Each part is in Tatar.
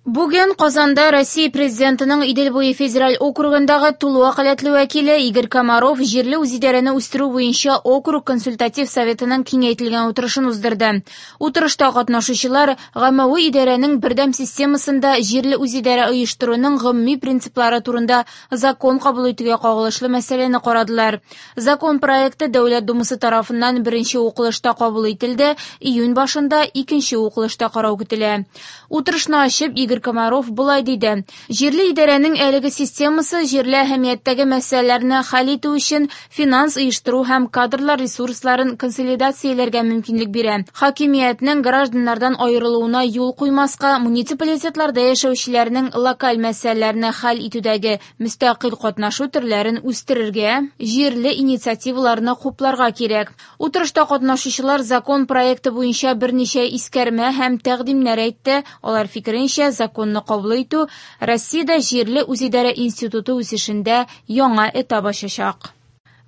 Бүген Казанда Россия Президентының Идел буе федераль округындагы тулы вәкаләтле вәкиле Игорь Комаров җирле үзидарәне үстерү буенча округ консультатив советының киңәйтелгән утырышын уздырды. Утырышта катнашучылар гаммәви идарәнең бердәм системасында җирле үзидарә оештыруның гомуми принциплары турында закон кабул итүгә кагылышлы мәсьәләне карадылар. Закон проекты Дәүләт Думасы тарафыннан беренче укылышта кабул ителде, июнь башында икенче укылышта карау көтелә. Утырышны ачып, Игорь Комаров болай диде: "Җирле идарәнең әлеге системасы җирле әһәмияттәге мәсьәләләрне хәл итү өчен финанс оештыру һәм кадрлар ресурсларын консолидацияләргә мөмкинлек бирә. Хакимиятнең гражданнардан аерылуына юл куймаска, муниципалитетларда яшәүчеләрнең локаль мәсьәләләрне хәл итүдәге мөстәкыйль катнашу төрләрен үстерергә, җирле инициативаларны хупларга кирәк. Утырышта катнашучылар закон проекты буенча берничә искәрмә һәм тәкъдимнәр әйтте. Алар фикеренчә, законны кабул итү Россиядә җирле үзидарә институты үсешендә яңа этап ачачак.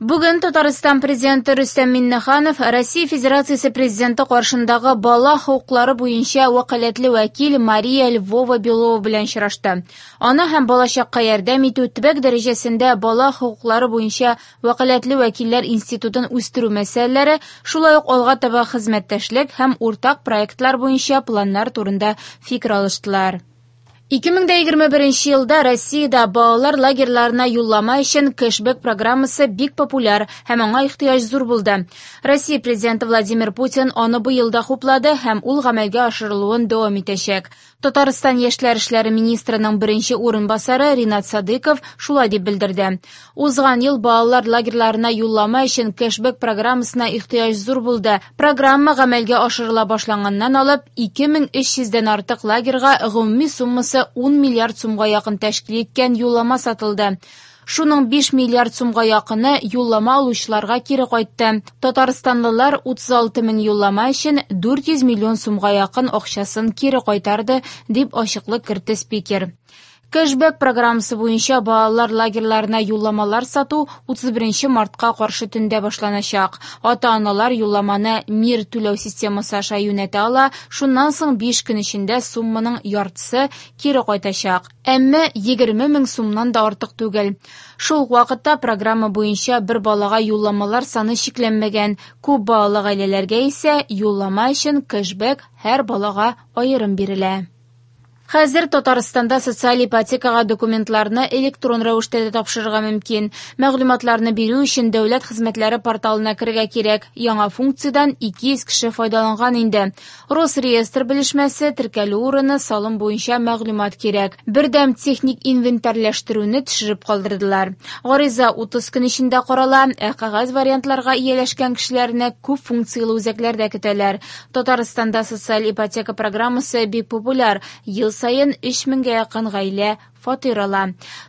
Бүген Татарстан Президенты Рөстәм Миңнеханов Россия Федерациясе Президенты каршындагы бала хокуклары буенча вәкаләтле вәкил Мария Львова-Белова белән очрашты. Ана һәм балачакка ярдәм итү, төбәк дәрәҗәсендә бала хокуклары буенча вәкаләтле вәкилләр институтын үстерү мәсьәләләре, шулай ук алга таба хезмәттәшлек һәм уртак проектлар буенча планнар турында фикер алыштылар. 2021 елда Россиядә балалар лагерьларына юллама өчен кэшбэк программасы бик популяр һәм аңа ихтыяҗ зур булды. Россия Президенты Владимир Путин аны быел да хуплады һәм ул гамәлгә ашырылуын дәвам итәчәк. Татарстан яшьләр эшләре министрының беренче урынбасары Ринат Садыков шулай дип белдерде. Узган ел балалар лагерьларына юллама өчен кэшбэк программасына ихтыяҗ зур булды. Программа гамәлгә ашырыла башланганнан алып 2300дән артык лагерьга гомуми суммасы 10 миллиард сумга якын тәшкил иткән юллама сатылды. Шуның 5 миллиард сумга якыны юллама алучыларга кире кайтты. Татарстанлылар 36 мең юллама өчен 400 миллион сумга якын акчасын кире кайтарды, дип ачыклык кертте спикер. Кэшбэк программасы буенча балалар лагерьларына юлламалар сату 31 мартка каршы төндә башланачак. Ата-аналар юлламаны Мир түләү системасы аша юнәтә ала, шуннан соң 5 көн эчендә сумманың яртысы кире кайтачак. Әмма 20 мең сумнан да артык түгел. Шул ук вакытта программа буенча бер балага юлламалар саны чикләнмәгән. Күп балалы гаиләләргә исә юллама өчен кэшбэк һәр балага аерым бирелә. Хәзер Татарстанда социаль ипотекага документларны электрон рәвештә дә тапшырырга мөмкин. Мәгълүматларны бирү өчен дәүләт хезмәтләре порталына керергә кирәк. Яңа функциядән 200 кеше файдаланган инде. Росреестр белешмәсе, теркәлү урыны, салым буенча мәгълүмат кирәк. Бердәм техник инвентарьләштерүне төшереп калдырдылар. Гариза 30 көн эчендә карала, ә кәгазь вариантларга ияләшкән кешеләрне күп функцияле үзәкләрдә көтәләр. Татарстанда социаль ипотека программасы бик популяр. Ел саен 3000гә якын гаилә фатир ала.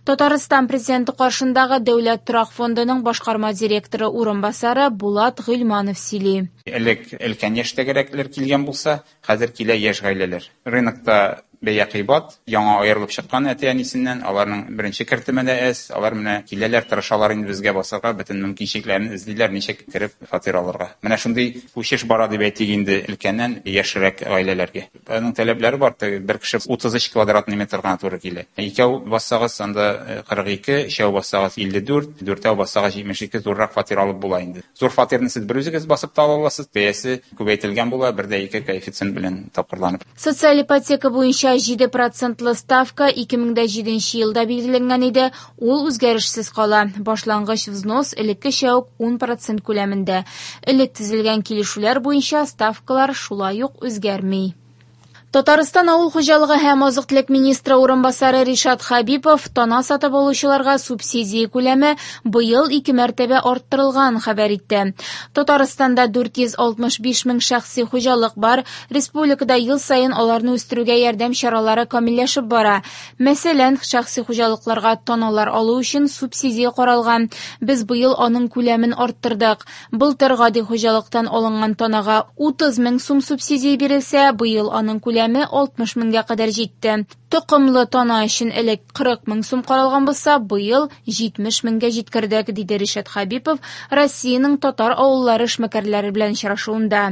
Татарстан Президенты каршындагы Дәүләт торак фондының башкарма директоры урынбасары Булат Гыйльманов сөйли. Элек өлкән яшьтәгерәкләр килгән булса, хәзер килә яшь гаиләләр. Рынокта бәя кыйбат, яңа аерылып чыккан әти-әнисеннән, аларның беренче кертеме дә әз, алар менә киләләр, тырышалар инде безгә басарга, бөтен мөмкинчелекләрен эзлиләр, ничек кереп фатир алырга. Менә шундый күчеш бара дип әйтик инде өлкәннән яшьрәк гаиләләргә. Аның таләпләре бар, теге бер кеше 33 квадратный метр гына туры килә. Икәү бассагыз, анда 42, өчәү бассагыз 54, дүртәү бассагыз 72 зуррак фатир алып була инде. Зур фатирны сез бер үзегез басып та ала аласыз, бәясе күбәйтелгән була, бер дә ике коэффициент белән тапкырланып. Социаль ипотека буенча җиде процентлы ставка ике мең дә җиденче елда билгеләнгән иде, ул үзгәрешсез кала. Башлангыч взнос элеккечә үк 10% күләмендә. Элек төзелгән килешүләр буенча ставкалар шулай ук үзгәрми. Татарстан авыл хуҗалыгы һәм азык-төлек министры урынбасары Ришат Хабипов тана сатып алучыларга субсидия күләме быел ике мәртәбә арттырылган хәбәр итте. Татарстанда 465 мең шәхси хуҗалык бар. Республикада ел саен аларны үстерүгә ярдәм чаралары камилләшеп бара. Мәсәлән, шәхси хуҗалыкларга таналар алу өчен субсидия каралган. Без быел аның күләмен арттырдык. Былтыр гади хуҗалыктан алынган танага 30 мең сум субсидия бирелсә, быел аның күләме күләме 60 меңгә кадәр җитте. Токымлы тана өчен элек 40 мең сум каралган булса, быел 70 меңгә җиткердек, диде Ришат Хәбипов Россиянең татар авыллары эшмәкәрләре белән очрашуында.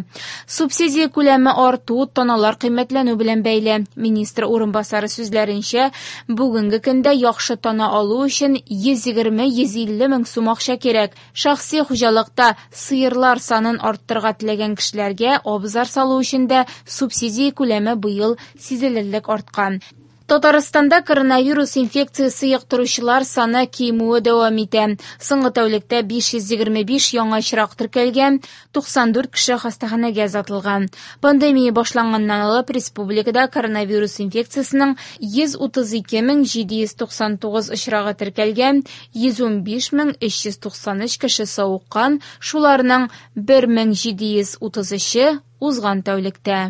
Субсидия күләме арту таналар кыйммәтләнү белән бәйле. Министр урынбасары сүзләренчә, бүгенге көндә яхшы тана алу өчен 120-150 мең сум акча кирәк. Шәхси хуҗалыкта сыерлар санын арттырырга теләгән кешеләргә абзар салу өчен дә субсидия күләме быел сизелерлек арткан. Татарстанда коронавирус инфекциясе йоктыручылар саны кимүе дәвам итә. Соңгы тәүлектә 525 яңа очрак теркәлгән, 94 кеше хастаханәгә озатылган. Пандемия башланганнан алып республикада коронавирус инфекциясенең 132 799 очрагы теркәлгән, 115 393 кеше савыккан, шуларның 1733-е узган тәүлектә.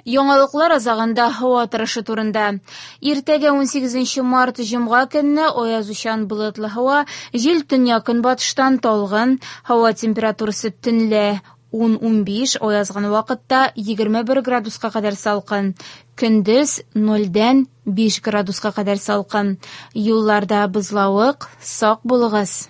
Яңалыклар азагында һава торышы турында. Иртәгә 18 март җомга көнне аязучан болытлы һава, җил төньяк-көнбатыштан талгын, һава температурасы төнлә 10-15, аязган вакытта 21 градуска кадәр салкын. Көндез 0-дән 5 градуска кадәр салкын. Юлларда бозлавык, сак булыгыз.